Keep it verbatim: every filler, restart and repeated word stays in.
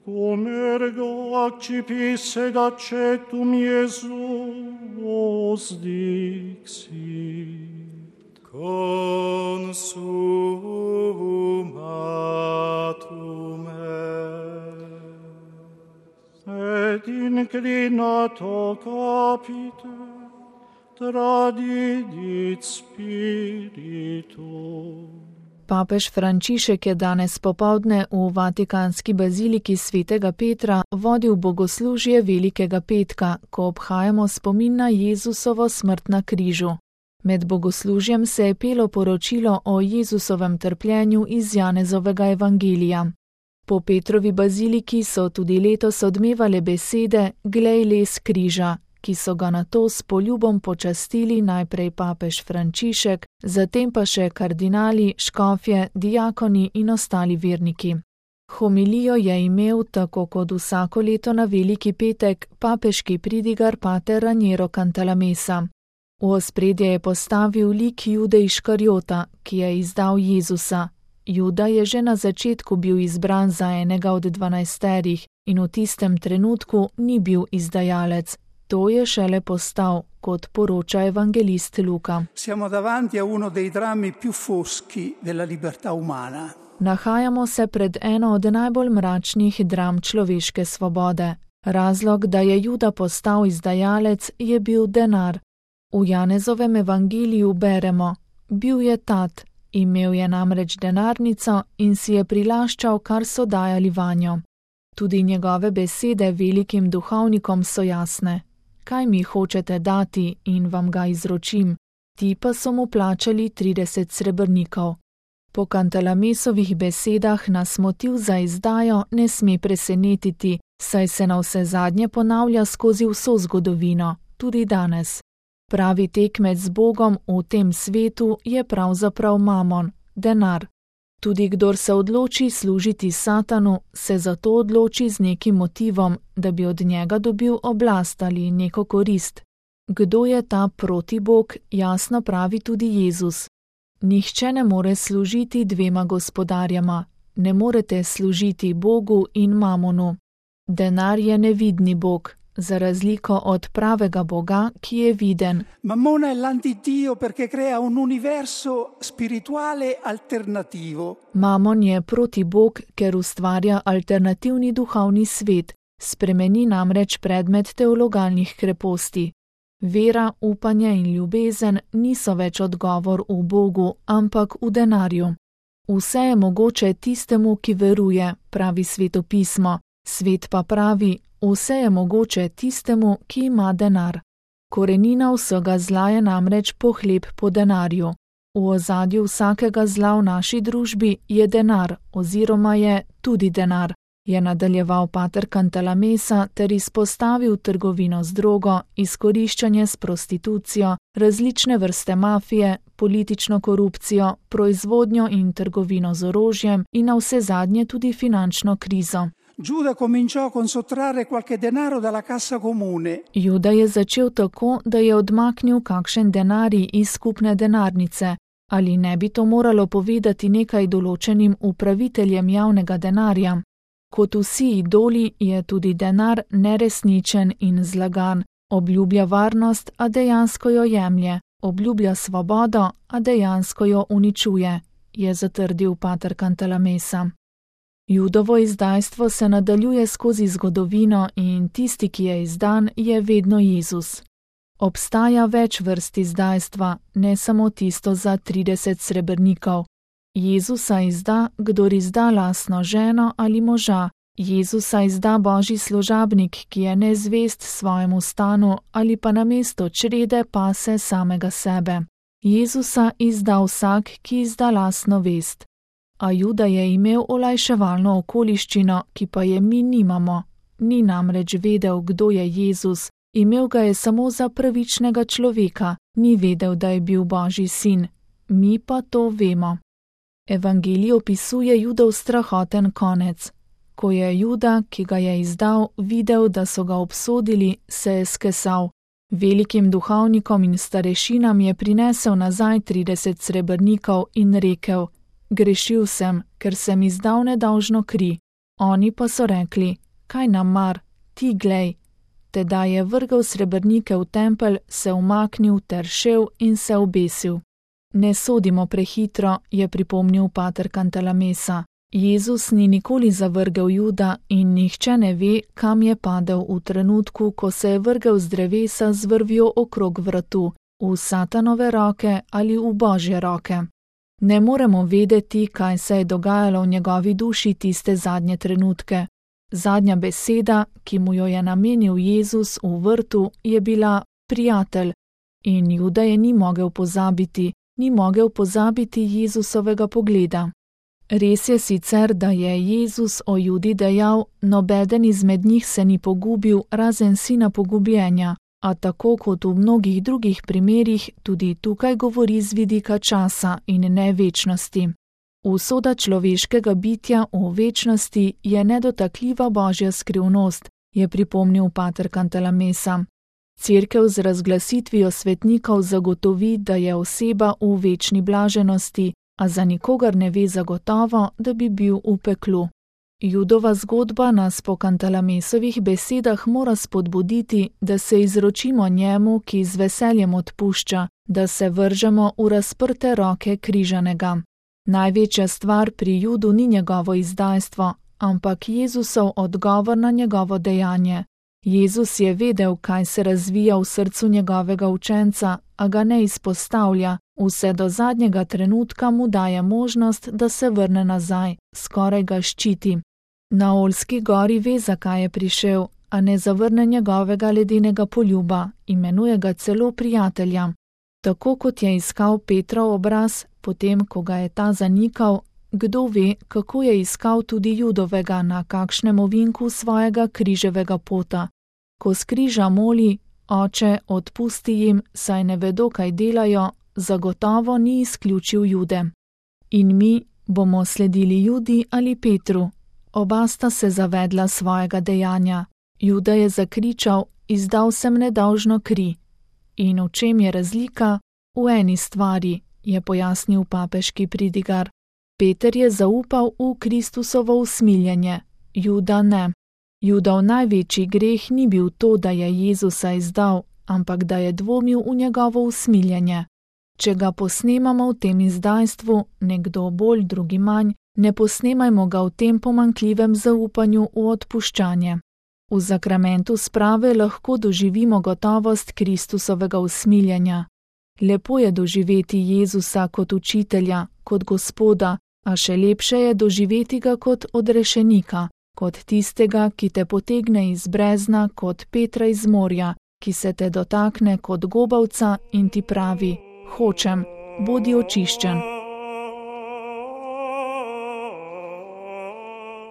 cum ergo accipisset et accetum Iesus dixit. Consumatum est. Et inclinato capite, tradidit spiritu. Papež Frančišek je danes popoldne v Vatikanski baziliki svetega Petra vodil bogoslužje Velikega petka, ko obhajamo spomin na Jezusovo smrt na križu. Med bogoslužjem se je pelo poročilo o Jezusovem trpljenju iz Janezovega evangelija. Po Petrovi baziliki so tudi letos odmevale besede Glej les križa, ki so ga nato s poljubom počastili najprej papež Frančišek, zatem pa še kardinali, škofje, diakoni in ostali verniki. Homilijo je imel, tako kot vsako leto na Veliki petek, papeški pridigar pater Raniero Cantalamessa. V ospredje je postavil lik Jude Iškariota, ki je izdal Jezusa. Juda je že na začetku bil izbran za enega od dvanajsterih in v tistem trenutku ni bil izdajalec. To je šele postal, kot poroča evangelist Luka. Siamo davanti a uno dei drammi più foschi della libertà umana. Nahajamo se pred eno od najbolj mračnih dram človeške svobode. Razlog, da je Juda postal izdajalec, je bil denar. V Janezovem evangeliju beremo: bil je tat, imel je namreč denarnico in si je prilaščal, kar so dajali vanjo. Tudi njegove besede velikim duhovnikom so jasne. Kaj mi hočete dati in vam ga izročim? Ti pa so mu plačali trideset srebrnikov. Po Cantalamessovih besedah nas motiv za izdajo ne sme presenetiti, saj se navsezadnje ponavlja skozi vso zgodovino, tudi danes. Pravi tekmec z Bogom v tem svetu je pravzaprav mamon, denar. Tudi kdor se odloči služiti Satanu, se zato odloči z nekim motivom, da bi od njega dobil oblast ali neko korist. Kdo je ta protibog, jasno pravi tudi Jezus. Nihče ne more služiti dvema gospodarjama, ne morete služiti Bogu in mamonu. Denar je nevidni bog, za razliko od pravega Boga, ki je viden. Mammona è l'antidio perché crea un universo spirituale alternativo. Mamon je protibog, ker ustvarja alternativni duhovni svet, spremeni namreč predmet teologalnih kreposti. Vera, upanje in ljubezen niso več odgovor v Bogu, ampak v denarju. Vse je mogoče tistemu, ki veruje, pravi svetopismo, svet pa pravi, vse je mogoče tistemu, ki ima denar. Korenina vsega zla je namreč pohleb po denarju. V ozadju vsakega zla v naši družbi je denar oziroma je tudi denar, je nadaljeval pater Cantalamessa ter izpostavil trgovino z drogo, izkoriščanje s prostitucijo, različne vrste mafije, politično korupcijo, proizvodnjo in trgovino z orožjem in navsezadnje tudi finančno krizo. Giuda cominciò con sottrarre qualche denaro dalla cassa comune. Juda je začel tako, da je odmaknil kakšen denarij iz skupne denarnice. Ali ne bi to moralo povedati nekaj določenim upraviteljem javnega denarja? Kot vsi idoli je tudi denar neresničen in zlagan, obljublja varnost, a dejansko jo jemlje, obljublja svobodo, a dejansko jo uničuje, je zatrdil pater Cantalamessa. Judovo izdajstvo se nadaljuje skozi zgodovino in tisti, ki je izdan, je vedno Jezus. Obstaja več vrst izdajstva, ne samo tisto za trideset srebrnikov. Jezusa izda, kdor izda lastno ženo ali moža. Jezusa izda božji služabnik, ki je nezvest svojemu stanu ali pa namesto črede pase samega sebe. Jezusa izda vsak, ki izda lastno vest. A Juda je imel olajševalno okoliščino, ki pa je mi nimamo. Ni namreč vedel, kdo je Jezus, imel ga je samo za pravičnega človeka, ni vedel, da je bil Božji sin. Mi pa to vemo. Evangelij opisuje Judov strahoten konec. Ko je Juda, ki ga je izdal, videl, da so ga obsodili, se je skesal. Velikim duhovnikom in starešinam je prinesel nazaj trideset srebrnikov in rekel: grešil sem, ker sem izdal nedolžno kri. Oni pa so rekli: kaj nam mar, ti glej. Tedaj je vrgel srebrnike v tempelj, se umaknil ter šel in se obesil. Ne sodimo prehitro, je pripomnil pater Cantalamessa. Jezus ni nikoli zavrgel Juda in nihče ne ve, kam je padel v trenutku, ko se je vrgel z drevesa z vrvjo okrog vratu, v Satanove roke ali v Božje roke. Ne moremo vedeti, kaj se je dogajalo v njegovi duši tiste zadnje trenutke. Zadnja beseda, ki mu jo je namenil Jezus v vrtu, je bila prijatelj in Juda je ni mogel pozabiti, ni mogel pozabiti Jezusovega pogleda. Res je sicer, da je Jezus o Judi dejal: nobeden izmed njih se ni pogubil, razen sina pogubljenja, a tako kot v mnogih drugih primerih, tudi tukaj govori z vidika časa in ne večnosti. Usoda človeškega bitja v večnosti je nedotakljiva Božja skrivnost, je pripomnil pater Cantalamessa. Cerkev z razglasitvijo svetnikov zagotovi, da je oseba v večni blaženosti, a za nikogar ne ve zagotovo, da bi bil v peklu. Judova zgodba nas po Cantalamessovih besedah mora spodbuditi, da se izročimo njemu, ki z veseljem odpušča, da se vržemo v razprte roke križanega. Največja stvar pri Judu ni njegovo izdajstvo, ampak Jezusov odgovor na njegovo dejanje. Jezus je vedel, kaj se razvija v srcu njegovega učenca, a ga ne izpostavlja, vse do zadnjega trenutka mu daje možnost, da se vrne nazaj, skoraj ga ščiti. Na Olski gori ve, zakaj je prišel, a ne zavrne njegovega ledenega poljuba, imenuje ga celo prijatelja. Tako kot je iskal Petrov obraz, potem ko ga je ta zanikal, kdo ve, kako je iskal tudi Judovega na kakšnem ovinku svojega križevega pota. Ko s križa moli: Oče, odpusti jim, saj ne vedo, kaj delajo, zagotovo ni izključil Jude. In mi bomo sledili Judi ali Petru. Oba sta se zavedla svojega dejanja. Juda je zakričal: izdal sem nedolžno kri. In v čem je razlika? V eni stvari, je pojasnil papeški pridigar. Peter je zaupal v Kristusovo usmiljenje, Juda ne. Judov največji greh ni bil to, da je Jezusa izdal, ampak da je dvomil v njegovo usmiljenje. Če ga posnemamo v tem izdajstvu, nekdo bolj, drugi manj, ne posnemajmo ga v tem pomanjkljivem zaupanju v odpuščanje. V zakramentu sprave lahko doživimo gotovost Kristusovega usmiljenja. Lepo je doživeti Jezusa kot učitelja, kot Gospoda, a še lepše je doživeti ga kot odrešenika, kot tistega, ki te potegne iz brezna, kot Petra iz morja, ki se te dotakne kot gobavca in ti pravi: hočem, bodi očiščen.